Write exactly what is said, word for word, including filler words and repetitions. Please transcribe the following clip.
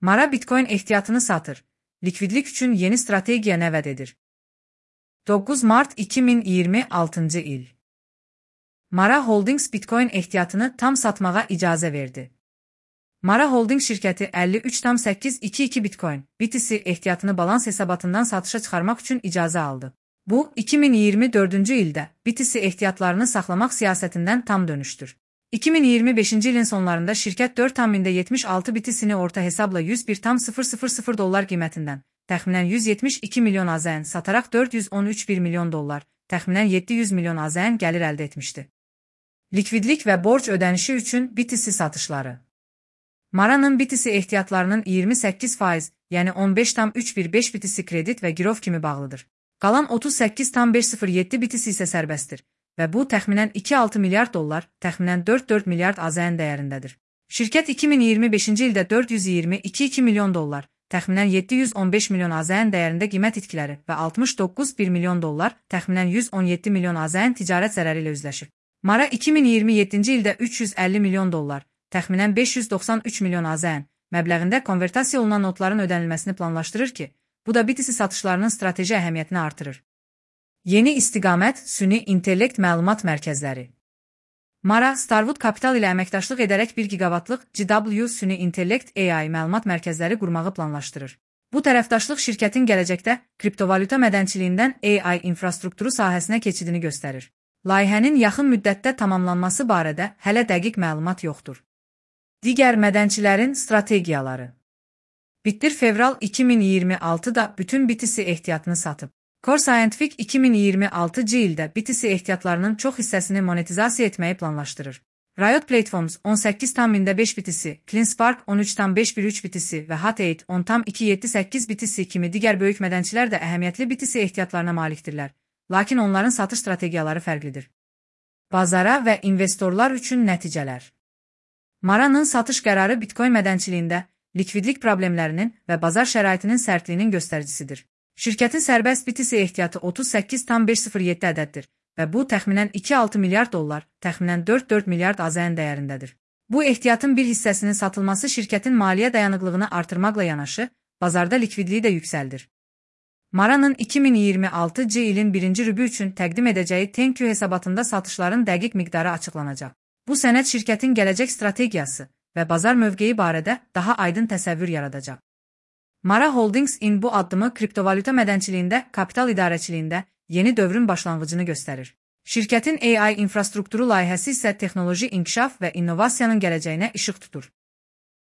Mara Bitcoin ehtiyatını satır. Likvidlik üçün yeni strategiya nəvət edir. doqquz Mart iki min iyirmi altıncı il. Mara Holdings Bitcoin ehtiyatını tam satmağa icazə verdi. Mara Holdings şirkəti əlli üç nöqtə səkkiz iki iki Bitcoin B T C ehtiyatını balans hesabatından satışa çıxarmaq üçün icazə aldı. Bu, iki min iyirmi dördüncü ildə B T C ehtiyatlarını saxlamaq siyasətindən tam dönüşdür. iki min iyirmi beşinci ilin sonlarında şirkət dörd nöqtə yetmiş altı B T C'ni orta hesabla yüz bir nöqtə sıfır sıfır sıfır dollar qiymətindən, təxminən yüz yetmiş iki milyon A Z N sataraq dörd yüz on üç bir milyon dollar, təxminən yeddi yüz milyon A Z N gəlir əldə etmişdi. Likvidlik və borc ödənişi üçün B T C satışları. Mara'nın B T C ehtiyatlarının iyirmi səkkiz faiz, yəni on beş nöqtə üç bir beş B T C kredit və girov kimi bağlıdır. Qalan otuz səkkiz nöqtə beş sıfır yeddi B T C isə sərbəstdir və bu təxminən iki nöqtə altı milyard dollar, təxminən dörd nöqtə dörd milyard A Z N dəyərindədir. Şirkət iki min iyirmi beşinci ildə dörd yüz iyirmi iki nöqtə iki milyon dollar, təxminən yeddi yüz on beş milyon A Z N dəyərində qiymət itkiləri və altmış doqquz bir milyon dollar, təxminən yüz on yeddi milyon A Z N ticarət zərəri ilə üzləşir. Mara iki min iyirmi yeddinci ildə üç yüz əlli milyon dollar, təxminən beş yüz doxsan üç milyon A Z N məbləğində konvertasiya olunan notların ödənilməsini planlaşdırır ki, bu da B T C satışlarının strateji əhəmiyyətini artırır. Yeni istiqamət, süni intellekt məlumat mərkəzləri. Mara, Starwood Capital ilə əməkdaşlıq edərək bir gigavatlıq G W süni intellekt A I məlumat mərkəzləri qurmağı planlaşdırır. Bu tərəfdaşlıq şirkətin gələcəkdə kriptovalyuta mədənçiliyindən A I infrastrukturu sahəsinə keçidini göstərir. Layihənin yaxın müddətdə tamamlanması barədə hələ dəqiq məlumat yoxdur. Digər mədənçilərin strategiyaları. Bitdir fevral iki min iyirmi altıda bütün B T C ehtiyatını satıb. Core Scientific iki min iyirmi altıncı ildə B T C ehtiyatlarının çox hissəsini monetizasiya etməyi planlaşdırır. Riot Platforms on səkkiz nöqtə beş B T C, CleanSpark on üç nöqtə beş bir üç B T C və Hut eight on nöqtə iki yeddi səkkiz B T C kimi digər böyük mədənçilər də əhəmiyyətli B T C ehtiyatlarına malikdirlər, lakin onların satış strategiyaları fərqlidir. Bazara və investorlar üçün nəticələr. Mara'nın satış qərarı Bitcoin mədənçiliyində likvidlik problemlərinin və bazar şəraitinin sərtliyinin göstəricisidir. Şirkətin sərbəst B T C ehtiyatı otuz səkkiz nöqtə beş sıfır yeddi ədəddir və bu təxminən iki nöqtə altı milyard dollar, təxminən dörd nöqtə dörd milyard A Z N dəyərindədir. Bu ehtiyatın bir hissəsinin satılması şirkətin maliyyə dayanıqlığını artırmaqla yanaşı, bazarda likvidliyi də yüksəldir. Mara'nın iki min iyirmi altıncı ilin birinci rübü üçün təqdim edəcəyi Tenkyu hesabatında satışların dəqiq miqdarı açıqlanacaq. Bu sənəd şirkətin gələcək strategiyası və bazar mövqeyi barədə daha aydın təsəvvür yaradacaq. Mara Holdings-in bu addımı kriptovalyuta mədənçiliyində, kapital idarəçiliyində yeni dövrün başlanğıcını göstərir. Şirkətin A I infrastrukturu layihəsi isə texnoloji inkişaf və innovasiyanın gələcəyinə işıq tutur.